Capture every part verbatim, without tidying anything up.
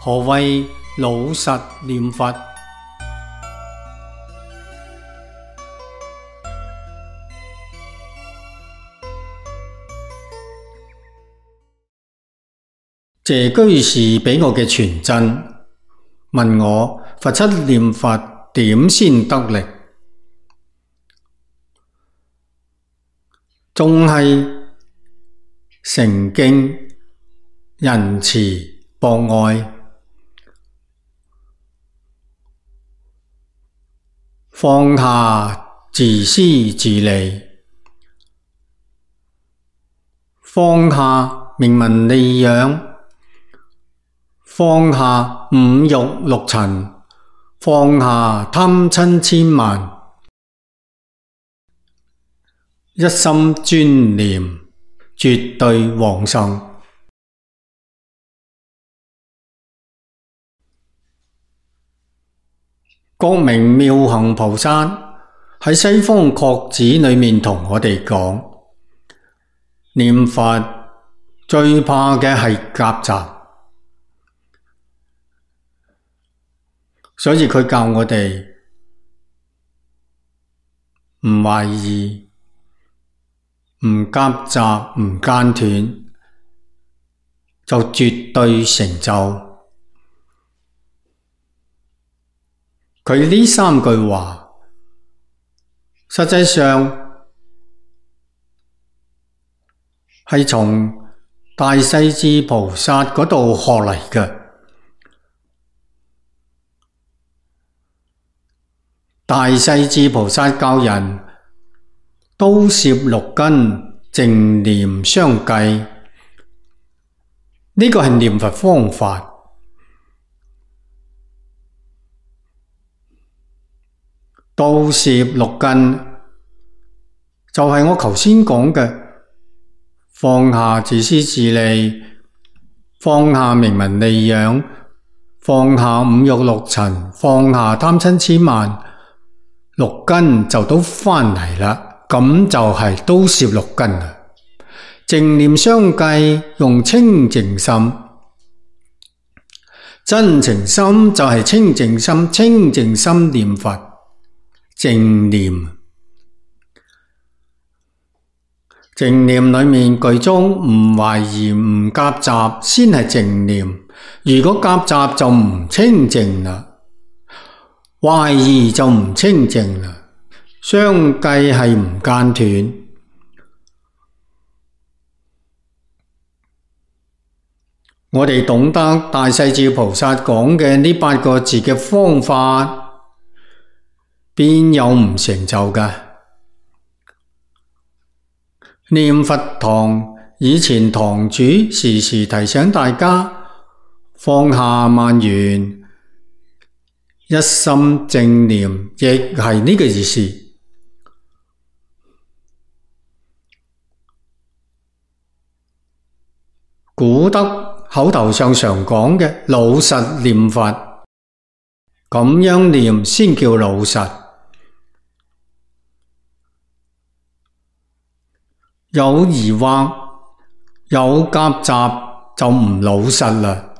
何謂老實念佛？謝居士俾我嘅傳真，問我佛七念佛點先得力？仲係誠敬、仁慈、博愛，放下自私自利，放下名聞利養，放下五欲六塵，放下貪嗔癡慢，一心專念絕對往生。覺明妙行菩薩喺西方確指裏面同我哋講，念佛最怕嘅係夾雜，所以佢教我哋唔懷疑、唔夾雜、唔間斷，就絕對成就。佢呢三句話，實際上係從大勢至菩薩嗰度學嚟嘅。大勢至菩薩教人都攝六根，淨念相繼，呢個係念佛方法。都攝六根就係我頭先講嘅，放下自私自利，放下名聞利養，放下五欲六塵，放下貪嗔癡慢，六根就都返嚟啦。咁就係都攝六根啦。淨念相繼，用清淨心，真情心就係清淨心，清淨心念佛。淨念，淨念裏面句中唔懷疑唔夾雜先係淨念，如果夾雜就唔清淨啦，懷疑就唔清淨啦，相繼係唔間斷。我哋懂得大勢至菩薩講嘅呢八個字嘅方法，邊有唔成就㗎？念佛堂以前堂主時時提醒大家放下萬緣，一心正念，亦係呢個意思。古德口頭上常講嘅老實念佛，咁樣念先叫老實。有疑惑、有夾雜就唔老實啦。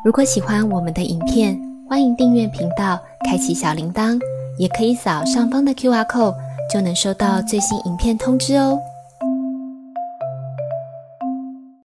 如果喜歡我們的影片，歡迎訂閱頻道，開啟小鈴鐺，也可以掃上方的 Q R code，就能收到最新影片通知哦。